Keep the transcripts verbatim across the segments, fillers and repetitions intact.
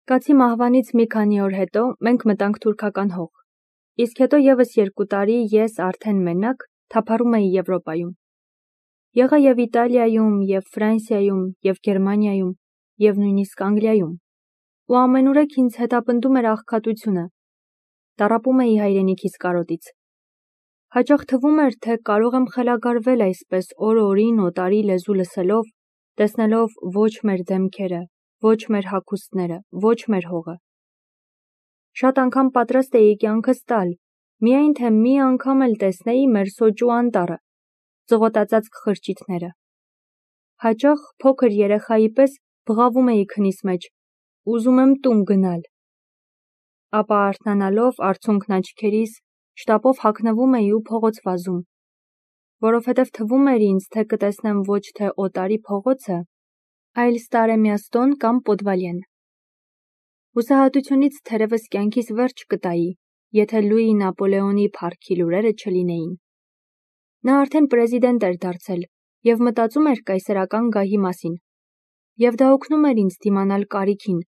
Կացի մահվանից մի քանի օր հետո մենք մտանք թուրքական հող, իսկ հետո ևս երկու տարի ես արդեն մենակ թափառում էի Եվրոպայում։ Եղա և Իտալիայում, և Ֆրանսիայում, և Գերմանիայում, և նույնիսկ Անգլիայում, ու ամենուրեք ինձ հետապնդում էր աղքատությունը, տառապում էի հայրենիքիս կարոտից։ Հաճախ թվում էր, թե կարող եմ խելագարվել այսպես օր-օրին օտարի լեզու լսելով, տեսնելով ոչ մեր դեմքերը, ոչ մեր հագուստները, ոչ մեր հողը։ Շատ անգամ պատրաստ էի կյանքս տալ, միայն թե մի անգամ էլ տեսնեի մեր սոճու անտառը, ծղոտածածկ խրճիթները։ Հաճախ փոքր երեխայի պես բղավում էի քնիս մեջ, ուզում եմ տուն գնալ։ Ապա արթնանալով արցունքն աչքերիս, շտապով հագնվում էի ու փողոց վազում, որովհետև թվում էր ինձ, թե կտեսնեմ ոչ թե օտարի փողոցը, այլ Ստարեմիաստոն կամ Պոդվալեն։ Հուսահատությունից թերևս կյանքիս վերջ կտայի, եթե Լուի Նապոլեոնի փառքի լուրերը չլինեին։ Նա արդեն պրեզիդենտ էր դարձել և մտածում էր կայսերական գահի մասին, և դա օգնում էր ինձ դիմանալ կարիքին,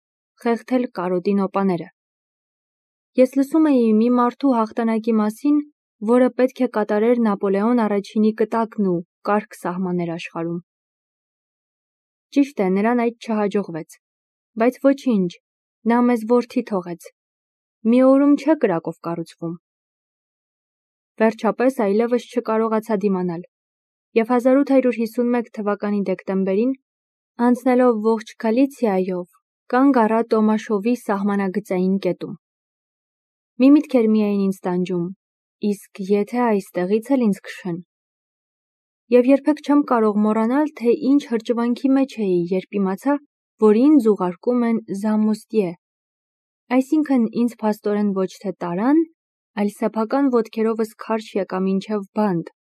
խեղդել կարոտի նոպաները։ Ես լսում էի մի մարդու հաղթանակի մասին, որը պետք է կատարեր Նապոլեոն առաջինի կտակն ու կարգ սահմաններ աշխարհում։ Ճիշտ է, նրան այդ չհաջողվեց, բայց ոչինչ, նա մեզ որդի թողեց։ Մի օրում չէ կրակով կառուցվում։ Վերջապես այլևս չկարողացա դիմանալ, և հազար ութ հարյուր հիսունմեկ թվականի դեկտեմբերին, անցնելով ողջ Գալիցիայով, կանգ առա Տոմաշովի սահմանագծային կետում։ Մի միտք էր միայն ինձ տանջում, իսկ եթե այստեղից էլ ինձ քշեն։ Եվ երբեք չեմ կարող մոռանալ, թե ինչ հրճվանքի մեջ էի, երբ իմացա, որ ինձ ուղարկում են Զամոստիե, այսինքն ինձ փաստորեն ոչ թե տարան, այլ սեփական ոտքերովս քարշ եկա մինչև բանտ,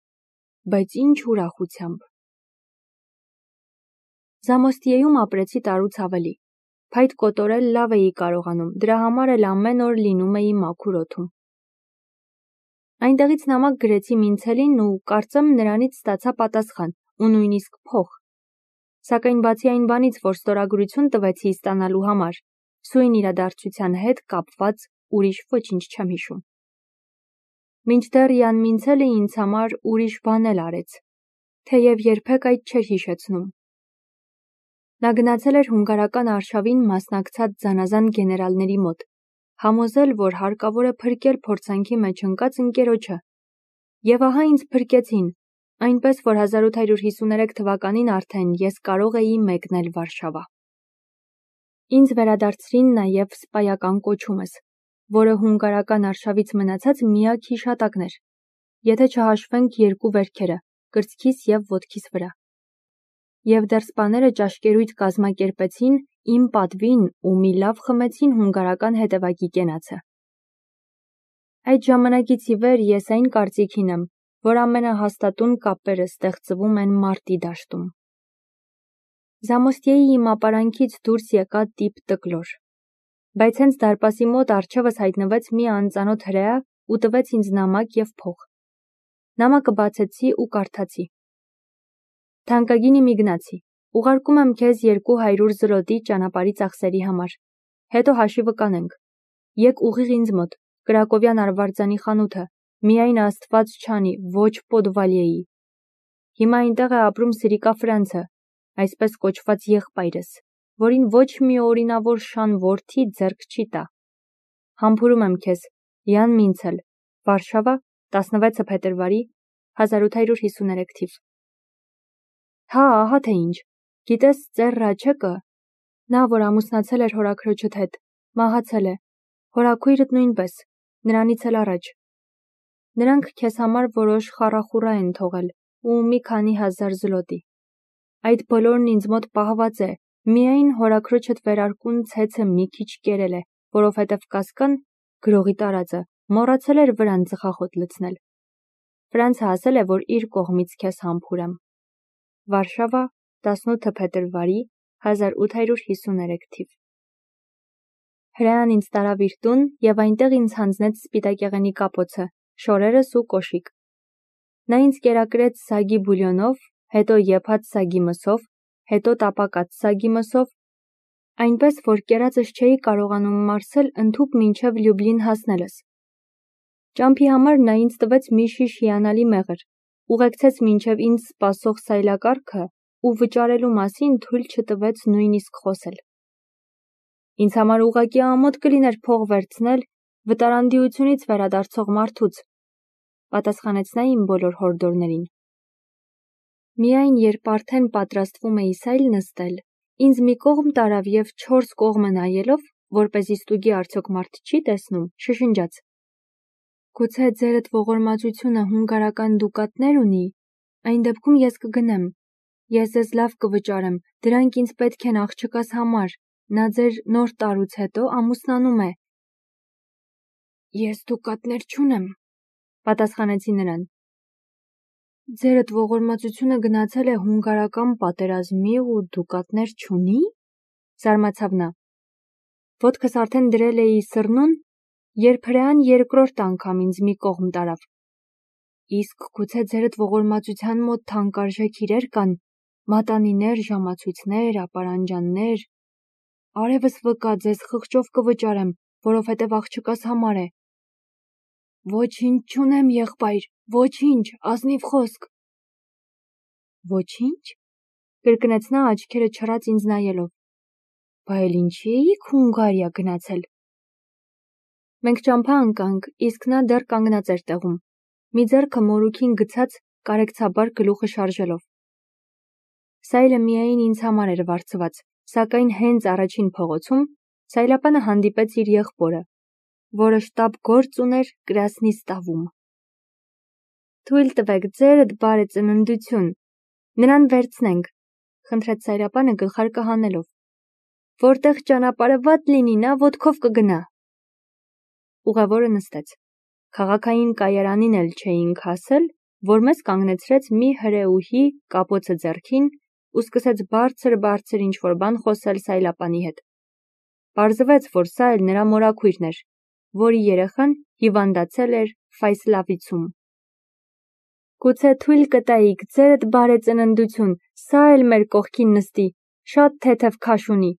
բայց ինչ ուրախությամբ։ Զամոստիեում ապրեցի տարուց ավելի, փայտ կոտորել լավ էի կարողանում, դրա համար էլ ամեն օր լինում էի մաքուր օդում։ Այնտեղից նամակ գրեցի Մինցելին ու կարծեմ նրանից ստացա պատասխան ու նույնիսկ փող։ Սակայն բացի այն բանից, որ ստորագրություն տվեցի ստանալու համար, սույն իրադարձության հետ կապված ուրիշ ոչինչ չեմ հիշում։ Մինչդեռ Յան Մինցելը ինձ համար ուրիշ բան էլ արեց, թեև երբեք այդ չէր հիշեցնում։ Նա գնացել էր հունգարական արշավին մասնակցած զանազան գեներալների մոտ, համոզել, որ հարկավոր է փրկել փորձանքի մեջ ընկած ընկերոջը։ Եվ ահա ինձ փրկեցին, այնպես որ հազար ութ հարյուր հիսուներեք թվականին արդեն ես կարող էի մեկնել Վարշավա։ Ինձ վերադարձրին նաև սպայական կոչումս, որը հունգարական արշավից մնացած միակ հիշատակն էր, եթե չհաշվենք երկու վերքերը՝ կրծքիս և ոտքիս վրա։ Եվ դեռ սպաները ճաշկերույթ կազմակերպեցին իմ պատվին ու մի լավ խմեցին հունգարական հետևակի կենացը։ Այդ ժամանակից ի վեր ես այն կարծիքին եմ, որ ամենահաստատուն կապերը ստեղծվում են մարտի դաշտում։ Զամոստիեի իմ ապարանքից դուրս եկա տիպ տկլոր, բայց հենց դարպասի մոտ առջևս հայտնվեց մի անծանոթ հրեա ու տվեց ինձ նամակ և փող։ Նամակը բացեցի ու կարդացի. Թանկագին իմ Իգնացի, ուղարկում եմ քեզ երկու հարյուր զլոտի ճանապարհի ծախսերի համար, հետո հաշիվը կանենք։ Եկ ուղիղ ինձ մոտ, Կրակովյան արվարձանի խանութը, միայն Աստված չանի, ոչ Պոդվալիեի։ Հիմա այնտեղ է ապրում Սրիկա Ֆրանցը, այսպես կոչված եղբայրս, որին ոչ մի օրինավոր շան որդի ձեռք չի տա։ Համբուրում եմ քեզ, Յան Մինցել, Վարշավա, տասնվեցը փետրվարի, հազար ութ հարյուր հիսուներեք թիվ։ Հա, ահա թե ինչ, գիտես ծեր Ռաչեկը, նա, որ ամուսնացել էր հորաքրոջդ հետ, մահացել է, հորաքույրդ նույնպես, նրանից էլ առաջ։ Նրանք քեզ համար որոշ խառախուռա են թողել ու մի քանի հազար զլոտի։ Այդ բոլորն ինձ մոտ պահված է, միայն հորաքրոջդ վերարկուն ցեցը մի քիչ կերել է, որովհետև Կասկան, գրողի տարածը, մոռացել էր վրան ծխախոտ լցնել։ Ֆրանցը ասել է, որ իր կողմից քեզ համբուրեմ։ Վարշավա, տասնութը փետրվարի, հազար ութ հարյուր հիսուներեք թիվ։ Հրեան ինձ տարավ իր տուն և այնտեղ ինձ հանձնեց սպիտակեղենի կապոցը, շորերս ու կոշիկ։ Նա ինձ կերակրեց սագի բուլյոնով, հետո եփած սագի մսով, հետո տապակած սագի մսով, Այնպես, որ կերածս չէի կարողանում մարսել ընդհուպ մինչև Լյուբլին հասնելս։ Ճամփի համար նա ինձ տվեց մի շիշ հիանալի մեղր, ուղեկցեց մինչև ինձ սպասող սայլակառքը ու վճարելու մասին թույլ չտվեց նույնիսկ խոսել։ Ինձ համար ուղղակի ամոթ կլիներ փող վերցնել վտարանդիությունից վերադարձող մարդուց, պատասխանեց նա իմ բոլոր հորդորներին։ Միայն երբ արդեն պատրաստվում էի սայլ նստել, ինձ մի կողմ տարավ և չորս կողմը նայելով, որպեսզի ստուգի արդյոք մարդ չի տեսնում, շշնջաց. Գուցե ձերդ ողորմածությունը հունգարական դուկատներ ունի, այն դեպքում ես կգնեմ, ես ձեզ լավ կվճարեմ, դրանք ինձ պետք են աղջկաս համար, նա ձեր նոր տարուց հետո ամուսնանում է։ Ես դուկատներ չունեմ, պատասխանեցի նրան։ Ձերդ ողորմածությունը գնացել է հունգարական պատերազմի ու դուկատներ չունի, զարմացավ նա։ Ոտքս արդեն դրել էի սռնուն, երբ հրեան երկրորդ անգամ ինձ մի կողմ տարավ։ Իսկ գուցե ձերդ ողորմածության մոտ թանկարժեք իրեր կան, մատանիներ, ժամացույցներ, ապարանջաններ, արևս վկա, ձեզ խղճով կվճարեմ, որովհետև աղջկաս համար է։ Ոչինչ չունեմ, եղբայր, ոչինչ, ազնիվ խոսք։ Ոչինչ, կրկնեց նա աչքերը չռած ինձ նայելով։ Բա էլ ինչի էիք Հունգարիա գնացել։ Մենք ճամփա ընկանք, իսկ նա դեռ կանգնած էր տեղում, մի ձեռքը մորուքին գցած կարեկցաբար գլուխը շարժելով։ Սայլը միայն ինձ համար էր վարձված, սակայն հենց առաջին փողոցում Սայլապանը հանդիպեց իր եղբորը, որը շտապ գործ ուներ Կրասնիստավում։ Թույլ տվեք, ձերդ բարեծննդություն, նրան վերցնենք, խնդրեց Սայլապանը գլխարկը հանելով։ Որտեղ ճանապարհը վատ լինի, նա ոտքով կգնա։ Ուղևորը նստեց։ Քաղաքային կայարանին էլ չէինք հասել, որ մեզ կանգնեցրեց մի հրեուհի կապոցը ձեռքին ու սկսեց բարձր-բարձր ինչ-որ բան խոսել Սայլապանի հետ։ Պարզվեց, որ սա էլ նրա մորաքույրն էր, որի երեխան հիվանդացել էր Ֆայսլավիցում։ Գուցե թույլ կտայիք, ձերդ բարեծննդություն, սա էլ մեր կողքին նստի, շատ թեթև քաշ ունի,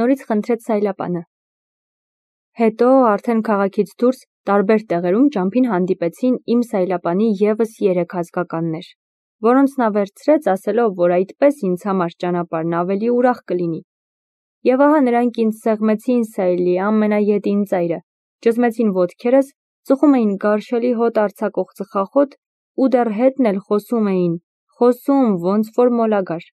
նորից խնդրեց Սայլապանը։ Հետո արդեն քաղաքից դուրս տարբեր տեղերում ճամփին հանդիպեցին իմ Սայլապանի ևս երեք ազգականներ, որոնց նա վերցրեց, ասելով, որ այդպես ինձ համար ճանապարհն ավելի ուրախ կլինի։ Եվ ահա նրանք ինձ սեղմեցին Սայլի ամենաետին ծայրը, ճզմեցին ոտքերս, ծխում էին գարշելի հոտ արձակող ծխախոտ ու դեռ հետն էլ խոսում էին, խոսում ոնց որ մոլագար։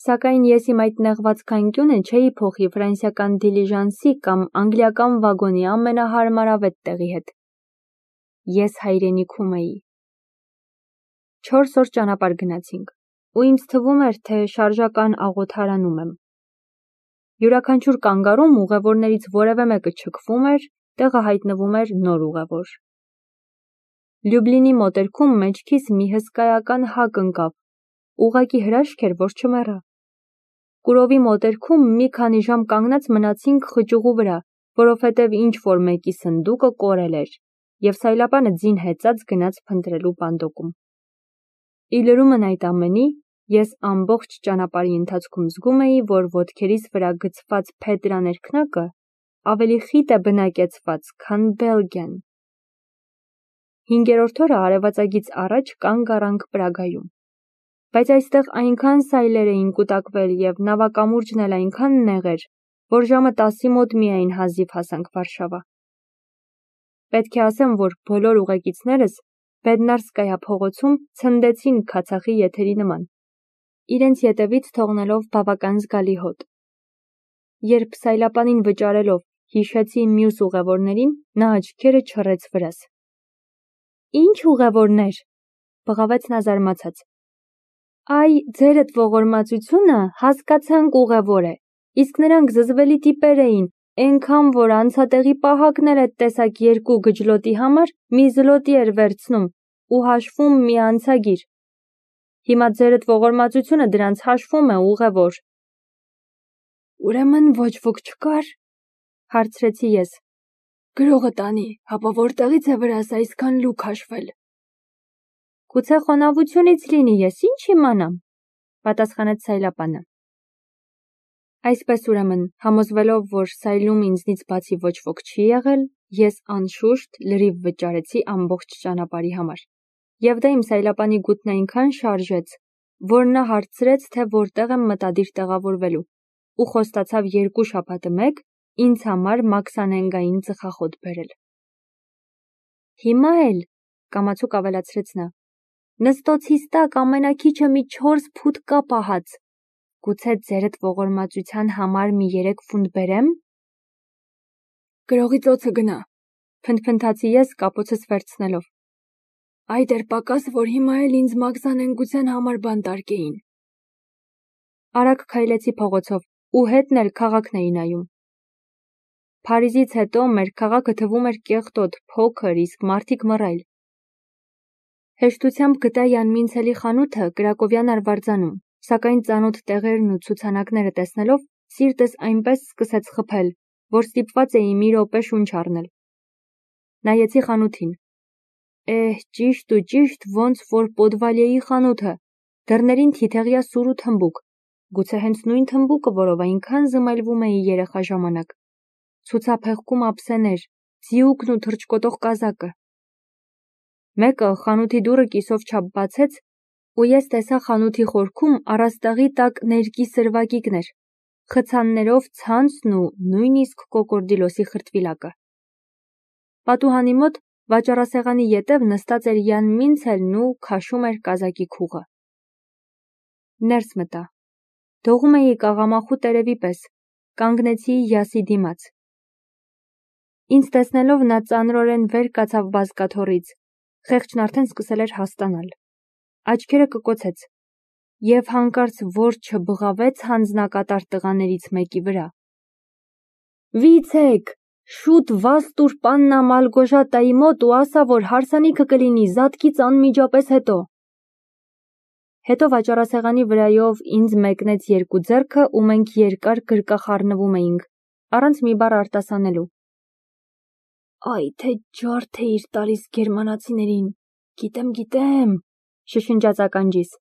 Սակայն ես իմ այդ նեղվածքանկյունը չէի փոխի ֆրանսիական դիլիժանսի կամ անգլիական վագոնի ամենահարմարավետ տեղի հետ։ Ես հայրենիքում էի։ Չորս օր ճանապարհ գնացինք, ու ինձ թվում էր, թե շարժական աղոթարանում եմ։ Յուրաքանչյուր կանգառում ուղևորներից որևէ մեկը չքվում էր, տեղը հայտնվում էր նոր ուղևոր։ Լյուբլինի մոտերքում մեջքիս մի հսկայական հակ ընկավ, ուղղակի հրաշք էր, որ չմեռա։ Կուրովի մոտերքում մի քանի ժամ կանգնած մնացինք խճուղու վրա, որովհետև ինչ-որ մեկի սնդուկը կորել էր, և Սայլապանը ձին հեծած գնաց փնտրելու բանդոկում։ Ի լրումն այդ ամենի, ես ամբողջ ճանապարհի ընթացքում զգում էի, որ ոտքերիս վրա գցված փետրա ներքնակը ավելի խիտ է բնակեցված, քան Բելգիան։ Հինգերորդ օրը արևածագից առաջ կանգ առանք Պրագայում։ Բայց այստեղ այնքան սայլեր էին կուտակվել և նավակամուրջն էլ այնքան նեղ էր, որ ժամը տասի մոտ միայն հազիվ հասանք Վարշավա։ Պետք է ասեմ, որ բոլոր ուղեկիցներս Բեդնարսկայա փողոցում ցնդեցին քացախի եթերի նման, իրենց ետևից թողնելով բավական զգալի հոտ։ Երբ Սայլապանին վճարելով հիշեցի մյուս ուղևորներին, նա աչքերը չռեց վրաս։ Ինչ ուղևորներ, բղավեց նա զարմացած։ Այ, ձերդ ողորմածությունը հասկացանք ուղևոր է, իսկ նրանք զզվելի տիպեր էին, էնքան, որ անցատեղի պահակն էլ էդ տեսակ երկու գջլոտի համար մի զլոտի էր վերցնում ու հաշվում մի անցագիր։ Հիմա ձերդ ողորմածությունը դրանց հաշվում է, ուղևոր։ Ուրեմն ոչ ոք չկար, հարցրեցի ես։ Գրողը տանի, հապա որտեղից է վրաս այսքան լուք հաշվել։ Գուցե խոնավությունից լինի, ես ինչ իմանամ, պատասխանեց Սայլապանը։ Այսպես ուրեմն, համոզվելով, որ սայլում ինձնից բացի ոչ ոք չի եղել, ես անշուշտ լրիվ վճարեցի ամբողջ ճանապարհի համար։ Եվ դա իմ սայլապանի գութն այնքան շարժեց, որ նա հարցրեց, թե որտեղ եմ մտադիր տեղավորվելու, ու խոստացավ երկու շաբաթը մեկ ինձ համար մաքսանենգային ծխախոտ բերել։ Հիմա էլ, կամացուկ ավելացրեց նա, նստոցիս տակ ամենաքիչը մի չորս ֆուտ կա պահած։ Գուցե ձերդ ողորմածության համար մի երեք ֆունտ բերեմ։ Գրողի ծոցը գնա, փնթփնթացի ես կապոցս վերցնելով։ Այդ էր պակաս, որ հիմա էլ ինձ մաքսանենգության համար բան տարկեին։ Արագ քայլեցի փողոցով ու հետն էլ քաղաքն էի նայում։ Փարիզից հետո մեր քաղաքը թվում էր կեղտոտ, փոքր, իսկ մարդիկ մռայլ։ Հեշտությամբ գտա Յան Մինցելի խանութը Կրակովյան արվարձանում, սակայն ծանոթ տեղերն ու ցուցանակները տեսնելով սիրտս այնպես սկսեց խփել, որ ստիպված էի մի րոպե շունչ առնել։ Նայեցի խանութին։ Էհ, ճիշտ ու ճիշտ ոնց որ Պոդվալիեի խանութը, դռներին թիթեղյա սուր ու թմբուկ, գուցե հենց նույն թմբուկը, որով այնքան զմայլվում էի երեխա ժամանակ, ցուցափեղկում ափսեներ, ձիուկն ու թռչկոտող կազակը։ Մեկը խանութի դուռը կիսով չափ բացեց, ու ես տեսա խանութի խորքում առաստաղի տակ ներկի սրվակիկներ, խցաններով ցանցն ու նույնիսկ կոկորդիլոսի խրտվիլակը։ Պատուհանի մոտ վաճառասեղանի ետև նստած էր Յան Մինցելն ու քաշում էր կազակի քուղը։ Ներս մտա։ Դողում էի կաղամախու տերևի պես, կանգնեցի Յասի դիմաց։ Ինձ տեսնելով նա ծանրորեն վեր կացավ բազկաթոռից, խեղճն արդեն սկսել էր հաստանալ։ Աչքերը կկոցեց և հանկարծ որ չբղավեց հանձնակատար տղաներից մեկի վրա։ Վիցեք, շուտ վազ տուր պաննա Մալգոժատայի մոտ ու ասա, որ հարսանիքը կլինի զատկից անմիջապես հետո։ Հետո վաճառասեղանի վրայով ինձ մեկնեց երկու ձեռքը ու մենք երկար գրկախառնվում էինք, առանց մի բառ արտասանելու։ Այ թե ջարդ էիր տալիս գերմանացիներին, գիտեմ, գիտեմ, շշնջաց ականջիս։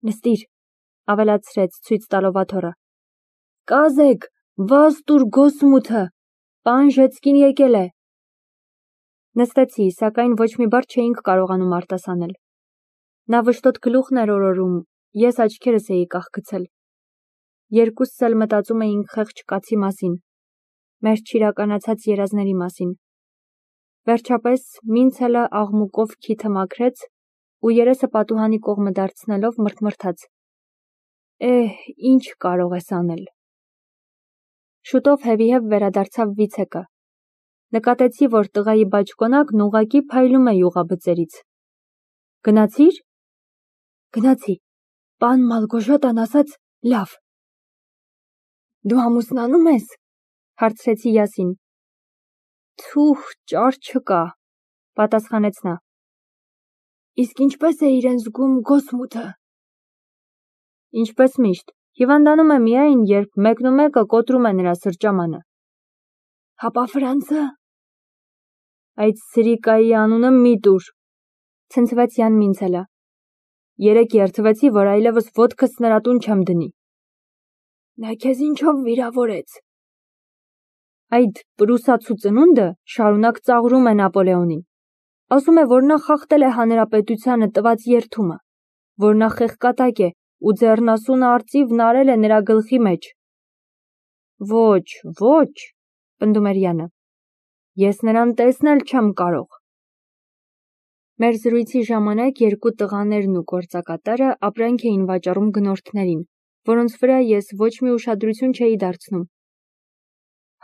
Նստիր, ավելացրեց ցույց տալով աթոռը։ Կազեք, վազ տուր գոսմութը, պան Ժեցկին եկել է։ Նստեցի, սակայն ոչ մի բառ չէինք կարողանում արտասանել։ Նա վշտոտ գլուխն էր օրորում, ես աչքերս էի կախգցել։ Երկուսս էլ մտածում էինք խեղճ կացի մասին, մեր չիրականացած երազների մասին։ Վերջապես Մինցելը աղմուկով քիթը մաքրեց ու երեսը պատուհանի կողմը դարձնելով մռթմռթաց. Էհ, ինչ կարող ես անել։ Շուտով հևիհև վերադարձավ Վիցեկը։ Նկատեցի, որ տղայի բաճկոնակն ուղղակի փայլում է յուղաբծերից։ Գնացի՞ր։ Գնացի։ Պան Մալգոժատան ասաց լավ։ Դու ամուսնանում ես, հարցրեցի Յասին։ Թուх, ճար չկա, պատասխանեց նա։ Իսկ ինչպես է իրեն զգում գոսմութը։ Ինչպես միշտ, հիվանդանում է միայն, երբ մեկնումեկը կոտրում է նրա սրճամանը։ Հապա Ֆրանսը։ Այդ սրիկայի անունը մի տուր, ցնցվեց Յան Մինցելը։ Երեկ երդվեցի, որ այլևս ոտքս նրա տուն չեմ դնի։ Նա քեզ ինչով վիրավորեց։ Այդ պրուսացու ծնունդը շարունակ ծաղրում է Նապոլեոնին։ Ասում է, որ նա խախտել է հանրապետությանը տված երդումը, որ նա խեղկատակ է ու ձեռնասունը արծիվն արել է նրա գլխի մեջ։ Ոչ, ոչ, պնդում էրՅանը։ Ես նրան տեսնել չեմ կարող։ Մեր զրույցի ժամանակ երկու տղաներն ու գործակատարը ապրանք էին վաճառում գնորդներին, որոնց վրա ես ոչ մի ուշադրություն չէի դարձնում։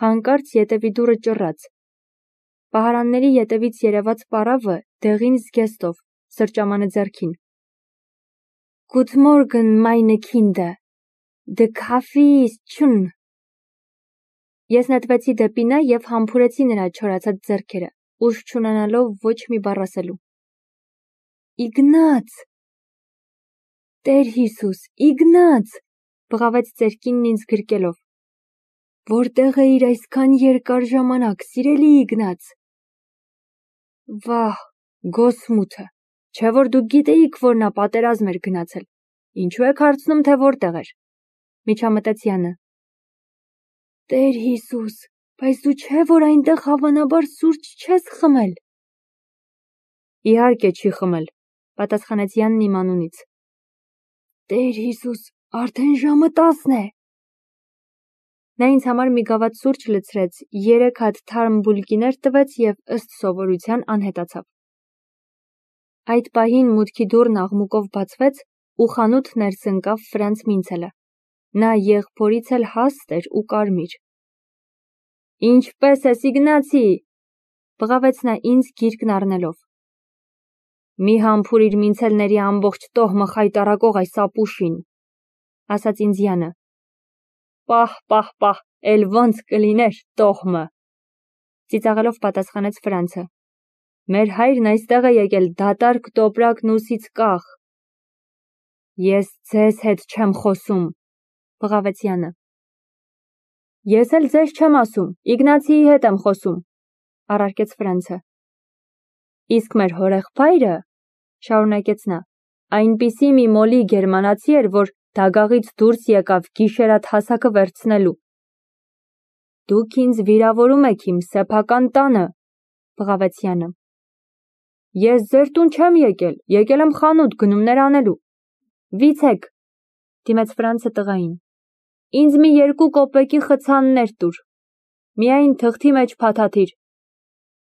Հանկարծ ետևի դուռը ճռաց։ Պահարանների ետևից երևաց պարավը դեղին զգեստով, սրճամանը ձեռքին։ Good morgen, meine Kinder. The coffee is schon. Ես նետվեցի դեպի նա և համբուրեցի նրա չորացած ձեռքերը, ուժ չունենալով ոչ մի բառ ասելու։ Իգնաց։ Տեր Հիսուս, Իգնաց, բղավեց ծերքինն ինձ գրկելով։ Որտեղ էիր այսքան երկար ժամանակ, սիրելի Իգնաց։ Վահ, գոսմութը, չէ որ դուք գիտեիք, որ նա պատերազմ էր գնացել։ Ինչու եք հարցնում, թե որտեղ էր։ ՄիջամտեցՅանը։ Տեր Հիսուս, բայց դու չէ, որ այնտեղ հավանաբար սուրճ չես խմել։ Իհարկե չի խմել, պատասխանեց Յանն իմ անունից։ Տեր Հիսուս, արդեն ժամը տասն է։ Նա ինձ համար մի գավաթ սուրճ լցրեց, երեք հատ թարմ բուլկիներ տվեց և ըստ սովորության անհետացավ։ Այդ պահին մուտքի դուռն աղմուկով բացվեց ու խանութ ներս ընկավ Ֆրանց Մինցելը։ Նա եղբորից էլ հաստ էր ու կարմիր։ Ինչպե՞ս ես, Իգնացի, բղավեց նա ինձ գիրկն առնելով։ Մի համբուրիր Մինցելների ամբողջ տոհմը խայտառակող այս ապուշին, ասաց ինձՅանը։ Պահ, պահ, պահ, էլ ոնց կլիներ տոհմը, ծիծաղելով պատասխանեց Ֆրանցը։ Մեր հայրն այստեղ է եկել դատարկ տոպրակն ուսից կախ։ Ես ձեզ հետ չեմ խոսում, բղավեցՅանը։ Ես էլ ձեզ չեմ ասում, Իգնացիի հետ եմ խոսում, առարկեց Ֆրանցը։ Իսկ մեր հորեղբայրը, շարունակեց նա, այնպիսի մի մոլի գերմանացի էր, որ դագաղից դուրս եկավ գիշերատ հասակը վերցնելու։ Դուք ինձ վիրավորում եք իմ սեփական տանը, բղավեցՅանը։ Ես ձեր տուն չեմ եկել, եկել եմ խանութ գնումներ անելու։ Վիցեք, դիմեց Ֆրանցը տղային։ Ինձ մի երկու կոպեկի խցաններ տուր։ Միայն թղթի մեջ փաթաթիր։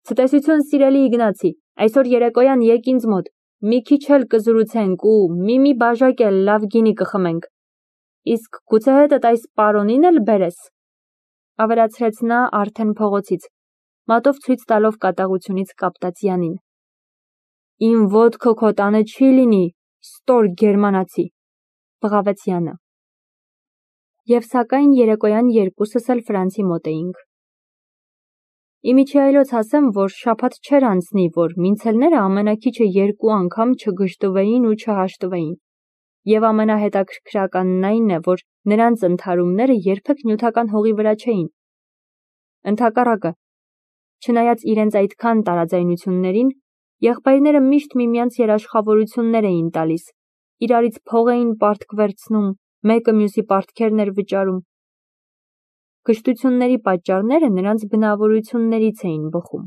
Ցտեսություն, սիրելի Իգնացի, այսօր երեկոյան եկ ինձ մոտ, մի քիչ էլ կզրուցենք ու մի-մի բաժակ էլ լավ գինի կխմենք։ Իսկ գուցե հետդ այս պարոնին էլ բերես, ավելացրեց նա արդեն փողոցից, մատով ցույց տալով կատաղությունից կապտած Յանին։ Իմ ոտքը քո տանը չի լինի, ստոր գերմանացի, բղավեցՅանը։ Եվ սակայն երեկոյան երկուսս էլ Ֆրանցի մոտ էինք։ Իմիջիայլոց ասեմ, որ շաբաթ չէր անցնի, որ Մինցելները ամենաքիչը երկու անգամ չգժտվեին ու չհաշտվեին։ Եվ ամենահետաքրքրականն այն է, որ նրանց ընդհարումները երբեք նյութական հողի վրա չէին։ Ընդհակառակը, չնայած իրենց այդքան տարաձայնություններին, եղբայրները միշտ միմյանց երաշխավորություններ էին տալիս, իրարից փող էին պարտք վերցնում, մեկը մյուսի պարտքերն էր վճարում։ Գժտությունների պատճառները նրանց բնավորություններից էին բխում։